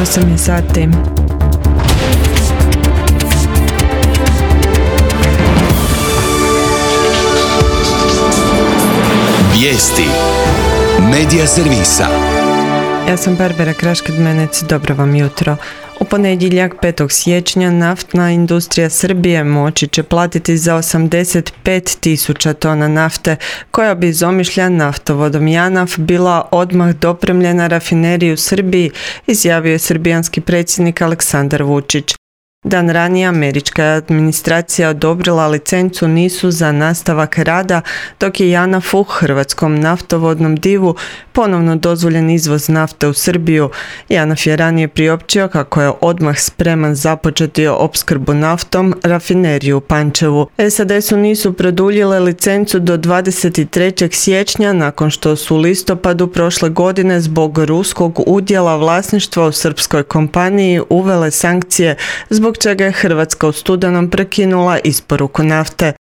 8 je sati. Vijesti Medija servisa. Ja sam Barbara Kraškid-Menec, dobro vam jutro. U ponedjeljak 5. siječnja naftna industrija Srbije moći će platiti za 85.000 tona nafte, koja bi iz Omišlja naftovodom JANAF bila odmah dopremljena rafineriji u Srbiji, izjavio je srbijanski predsjednik Aleksandar Vučić. Dan ranije američka administracija odobrila licencu NIS-u za nastavak rada, dok je JANAF-u, hrvatskom naftovodnom divu, ponovno dozvoljen izvoz nafte u Srbiju. JANAF je ranije priopćio kako je odmah spreman započeti opskrbu naftom rafineriju u Pančevu. SAD su NIS-u produljile licencu do 23. siječnja nakon što su u listopadu prošle godine zbog ruskog udjela vlasništva u srpskoj kompaniji uvele sankcije, zbog čega je Hrvatska u studenom prekinula isporuku nafte.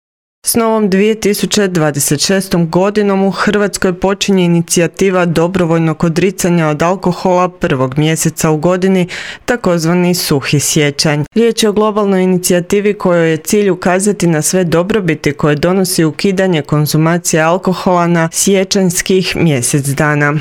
S novom 2026. godinom u Hrvatskoj počinje inicijativa dobrovoljnog odricanja od alkohola prvog mjeseca u godini, takozvani suhi siječanj. Riječ je o globalnoj inicijativi kojoj je cilj ukazati na sve dobrobiti koje donosi ukidanje konzumacije alkohola na siječanjskih mjesec dana.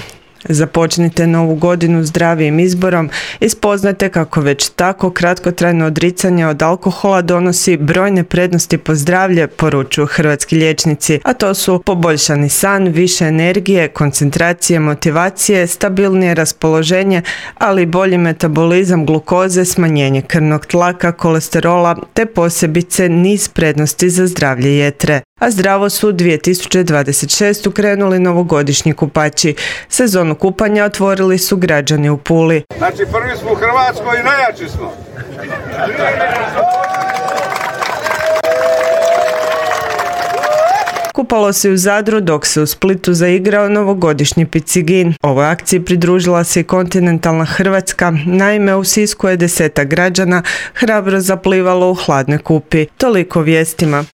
Započnite novu godinu zdravijim izborom i spoznajte kako već tako kratkotrajno odricanje od alkohola donosi brojne prednosti po zdravlje, poručuju hrvatski liječnici, a to su poboljšani san, više energije, koncentracije, motivacije, stabilnije raspoloženje, ali i bolji metabolizam glukoze, smanjenje krvnog tlaka, kolesterola te posebice niz prednosti za zdravlje jetre. A zdravo su 2026. krenuli novogodišnji kupači. Sezonu kupanja otvorili su građani u Puli. Znači prvi smo u Hrvatskoj i najjači smo. Kupalo se u Zadru dok se u Splitu zaigrao novogodišnji picigin. Ovoj akciji pridružila se i kontinentalna Hrvatska, naime u Sisku je 10 građana hrabro zaplivalo u hladnoj Kupi. Toliko vijestima.